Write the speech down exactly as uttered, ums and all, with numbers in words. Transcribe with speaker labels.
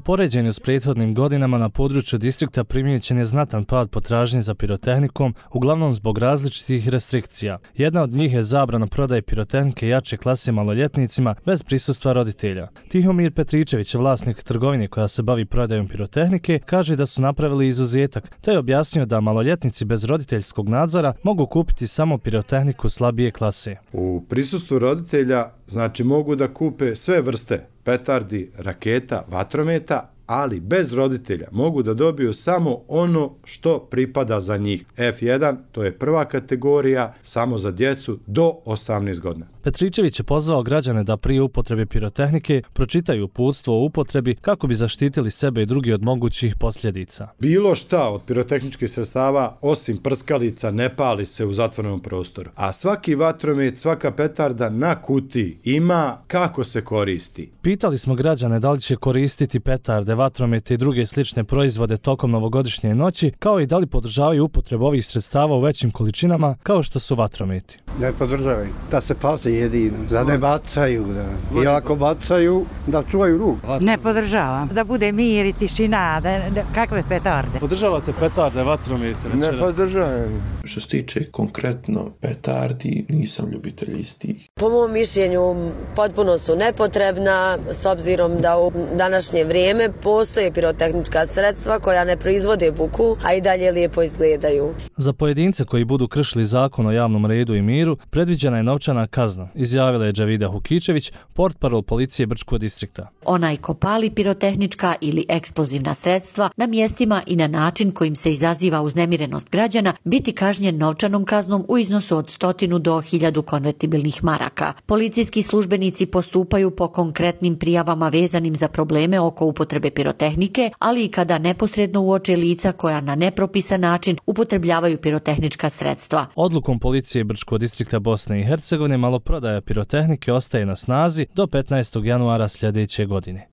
Speaker 1: poređenju s prethodnim godinama na području distrikta primijećen je znatan pad potražnje za pirotehnikom, uglavnom zbog različitih restrikcija. Jedna od njih je zabrana prodaje pirotehnike jače klase maloljetnicima bez prisustva roditelja. Tihomir Petričević, vlasnik trgovine koja se bavi prodajom pirotehnike, kaže da su napravili izuzetak, te je objasnio da maloljetnici bez roditeljskog nadzora mogu kupiti samo pirotehniku slabije klase.
Speaker 2: U prisustvu roditelja znači mogu da kupe sve vrste petardi, raketa, vatrometa, ali bez roditelja mogu da dobiju samo ono što pripada za njih. F jedan, to je prva kategorija, samo za djecu do osamnaest godina.
Speaker 1: Petričević je pozvao građane da prije upotrebe pirotehnike pročitaju uputstvo o upotrebi kako bi zaštitili sebe i drugi od mogućih posljedica.
Speaker 2: Bilo šta od pirotehničkih sredstava, osim prskalica, ne pali se u zatvorenom prostoru. A svaki vatromet, svaka petarda na kutiji ima kako se koristi.
Speaker 1: Pitali smo građane da li će koristiti petarde, vatromete i druge slične proizvode tokom novogodišnje noći, kao i da li podržavaju upotrebu ovih sredstava u većim količinama kao što su vatrometi.
Speaker 3: Ne podržavaju, da se pazi jedino, da ne bacaju, da. I ako bacaju, da čuvaju ruku.
Speaker 4: Ne podržavam, da bude mir i tišina, da, da, kakve petarde.
Speaker 1: Podržavate petarde, vatromete?
Speaker 3: Ne, ne podržavam.
Speaker 5: Što se tiče konkretno petardi, nisam ljubitelj istih.
Speaker 6: Po mom mišljenju potpuno su nepotrebna, s obzirom da u današnje vrijeme postoje pirotehnička sredstva koja ne proizvode buku, a i dalje lijepo izgledaju.
Speaker 1: Za pojedince koji budu kršili zakon o javnom redu i miru, predviđena je novčana kazna, izjavila je Džavida Hukičević, portparol policije Brčkog distrikta.
Speaker 7: Onaj ko pali pirotehnička ili eksplozivna sredstva na mjestima i na način kojim se izaziva uznemirenost građana biti kažnjen novčanom kaznom u iznosu od stotinu do hiljadu konvertibilnih maraka. Policijski službenici postupaju po konkretnim prijavama vezanim za probleme oko upotrebe pirotehnike, ali i kada neposredno uoče lica koja na nepropisan način upotrebljavaju pirotehnička sredstva.
Speaker 1: Odlukom policije Brčkog distrikta Bosne i Hercegovine maloprodaja pirotehnike ostaje na snazi do petnaestog januara sljedeće godine.